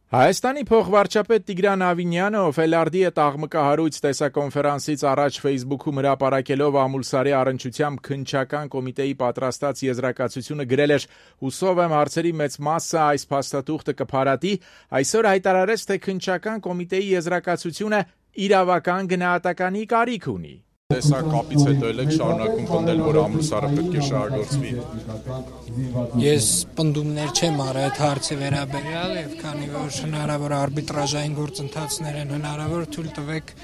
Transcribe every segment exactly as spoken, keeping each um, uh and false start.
Հայաստանի փոխվարչապետ Տիգրան Ավինյանը, ով Էլարդի հետ աղմկահարույց տեսակոնֆերանսից առաջ Facebook-ում հրապարակելով Ամուլսարի առնչությամբ քննչական կոմիտեի պատրաստած եզրակացությունը գրել էր «Հուսով եմ հարցերի մեծ մասը այս փաստաթուղթը կփարատի», այսօր հայտարարեց, թե քննչական կոմիտեի եզրակացությունը իրավական գնահատականի կարիք ունի։ Տեսակապից հետո եք շարունակում պնդել, որ Ամուլսարը պետք է շահագործվի։ Ես պնդումներ չեմ արել այդ հարցի վերաբերյալ, եւ քանի որ հնարավոր արբիտրաժային գործընթացներ են հնարավոր, թույլ տվեք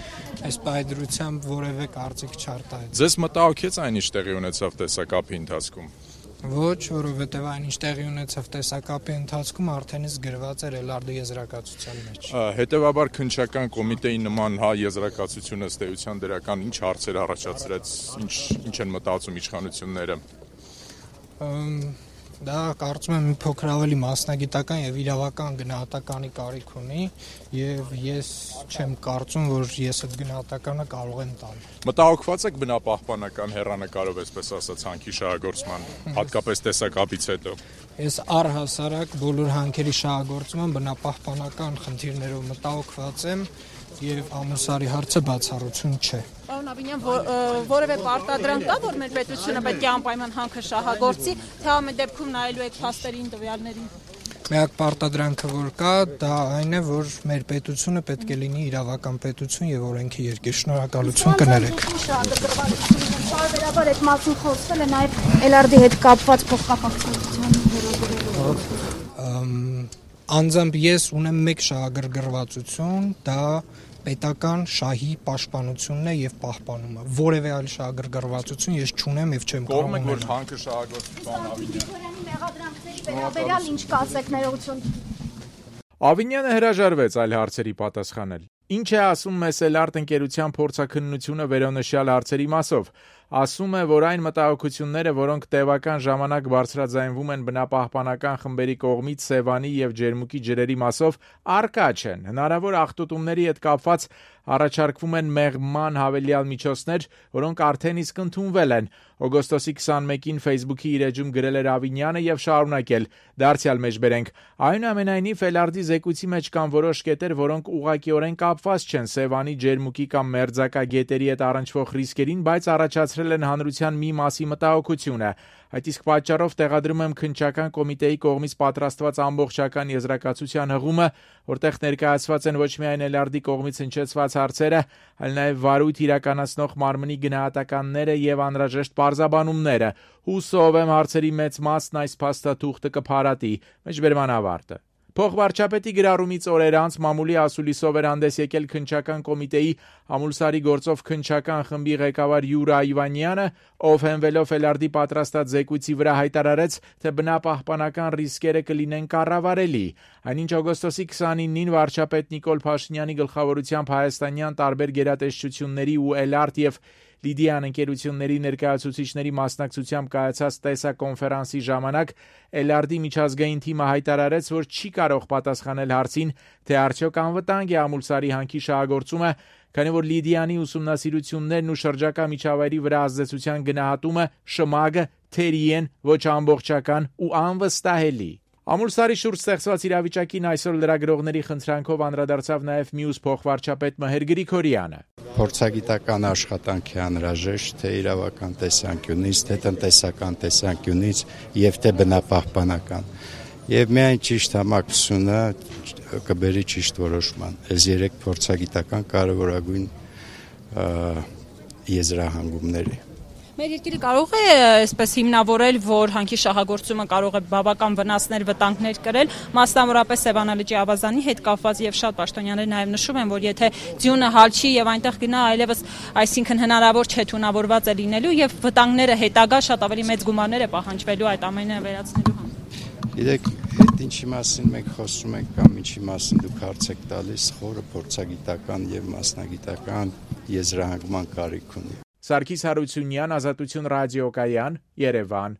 այս պայդրությամբ որևէ կարծիք չարտահայտել։ Ձեզ մտահոգեց այն, ինչ տեղի ունեցավ տեսակապի ընթացքում։ Ոչ, որովհետև այն, ինչ տեղի ունեցավ տեսակապի ընթացքում, արդեն իսկ գրված էր Էլարդի եզրակացության մեջ։ Հետևաբար քննչական կոմիտեի նման հա եզրակացությունը ըստ էության դրական ինչ հարցեր առաջացրեց, ինչ ինչ են մտածում իշխանությունները։ Դա կարծում եմ մի փոքր ավելի մասնագիտական եւ իրավական գնահատականի կարիք ունի եւ ես չեմ կարծում, որ ես այդ գնահատականը կարող եմ տալ։ Մտահոգված եք բնապահպանական հեռանկարով, այսպես ասած, հանքի շահագործման, հատկապես տեսակապից հետո։ Ես առհասարակ բոլոր հանքերի շահագործման բնապահպանական խնդիրներով մտահոգված եմ եւ Ամուլսարի հարցը բացառություն չէ։ Պարոն Ավինյան, որևէ պարտադրանք կա, որ մեր պետությունը պետք է անպայման հանքը շահագործի, թե ամեն դեպքում նայելու եք փաստերին, տվյալներին։ Միակ պարտադրանքը, որ կա, դա այն է, որ մեր պետությունը պետք է լինի իրավական պետություն եւ օրենքի երկիր։ Շնորհակալություն կներեք։ Բարբերաբար այդ մասում խոսվել է նաեւ Էլարդի հետ կապված փոխկապակցության վերաբերյալ։ Անձամբ ես ունեմ մեկ շահագրգռվածություն, դա պետական շահի պաշտպանությունն է եւ պահպանումը։ Որևէ այլ շահագրգռվածություն ես չունեմ եւ չեմ կարող ունենալ։ Կողմ եք, որ հանքը շահագործվի, պարոն Ավինյան։ Մեղադրանքների վերաբերյալ ինչ կասեք ներողություն։ Ավինյանը հրաժարվեց այլ հարցերի պատասխանել։ Ինչ է ասում մեզ Էլարդ ընկերության փորձաքննությունը վերոնշյալ հարցերի մասով։ Ասում է, որ այն մտահոգությունները, որոնք տևական ժամանակ բարձրաձայնվում են բնապահպանական խմբերի կողմից Սևանի եւ Ջերմուկի ջրերի մասով, առկա չեն։ Հնարավոր աղտոտումների հետ կապված առաջարկվում են մեղման հավելյալ միջոցներ, որոնք արդեն իսկ ընդունվել են։ Օգոստոսի քսանմեկին Facebook-ի իր էջում գրել էր Ավինյանը եւ շարունակել. «Դարձյալ մեջբերենք։ Այնուամենայնիվ Էլարդի զեկույցի մեջ կան որոշ կետեր, որոնք ուղղակիորեն կապված չեն Սևանի, Ջերմուկի կամ Մերձակա գետերի հետ առնչվող ռիսկերին, բայց առաջացրել են հանրության մի մասի մտահոգությունը։ Այդ իսկ պատճառով տեղադրում եմ քննչական կոմիտեի կողմից պատրաստված ամբողջական եզրակացության հղումը, որտեղ ներկայացված են ոչ միայն Էլարդի կողմից հնչեցված հարցերը, այլ նաև վարույթ իրականացնող մարմնի գնահատականները եւ անհրաժեշտ պարզաբանումները։ Հուսով եմ հարցերի մեծ մասն այս փաստաթուղթը կփարատի»։ Մեջբերման ավարտը։ Փոխվարչապետի գրառումից օրեր անց մամուլի ասուլիսով էր հանդես եկել քննչական կոմիտեի Ամուլսարի գործով քննչական խմբի ղեկավար Յուրա Իվանյանը, ով հենվելով Էլարդի պատրաստած զեկույցի վրա հայտարարեց, թե բնապահպանական ռիսկերը կլինեն կառավարելի։ Այնինչ օգոստոսի քսանինին վարչապետ Նիկոլ Փաշինյանի գլխավորությամբ հայաստանյան տարբեր գերատեսչությունների ու Էլարդ եւ Լիդիան ընկերությունների ներկայացուցիչների մասնակցությամբ կայացած տեսակոնֆերանսի ժամանակ Էլարդի միջազգային թիմը հայտարարեց, որ չի կարող պատասխանել հարցին, թե արդյոք անվտանգ է Ամուլսարի հանքի շահագործումը, քանի որ Լիդիանի ուսումնասիրություններն ու շրջակա միջավայրի վրա ազդեցության գնահատումը շմագը թերի են, ոչ ամբողջական ու անվստահելի։ Ամուլսարի շուրջ ստեղծված իրավիճակին այսօր լրագրողների խնդրանքով անդրադարձավ նաև մյուս փոխվարչապետ Մհեր Գրիգորյանը։ Փորձագիտական աշխատանք է անհրաժեշտ թե իրավական տեսանկյունից, թե տնտեսական տեսանկյունից եւ թե բնապահպանական։ Եվ միայն ճիշտ համակցությունը կբերի ճիշտ որոշման։ Այս երեք փորձագիտական կարևորագույն եզրահանգումների։ Մեր երկիրը կարող է այսպես հիմնավորել, որ հանքի շահագործումը կարող է բավական վնասներ, վտանգներ կրել, մասնավորապես Սևանալճի ավազանի հետ կապված եւ շատ պաշտոնյաներ նաեւ նշում են, որ եթե ձյունը հալչի եւ այնտեղ գնա, այլևս այսինքն հնարավոր չէ թունավորված է լինելու եւ վտանգները հետագա շատ ավելի մեծ գումարներ է պահանջվելու այդ ամենը վերացնելու համար։ Գիտեք, այդ ինչի մասին մենք խոսում ենք կամ ինչի մասին դուք հարց եք տալիս, խորը փորձագիտական եւ մասնագիտական եզրահանգման կարիք ունի։ Սարգիս Հարությունյան, Ազատություն ռադիոկայան, Երևան։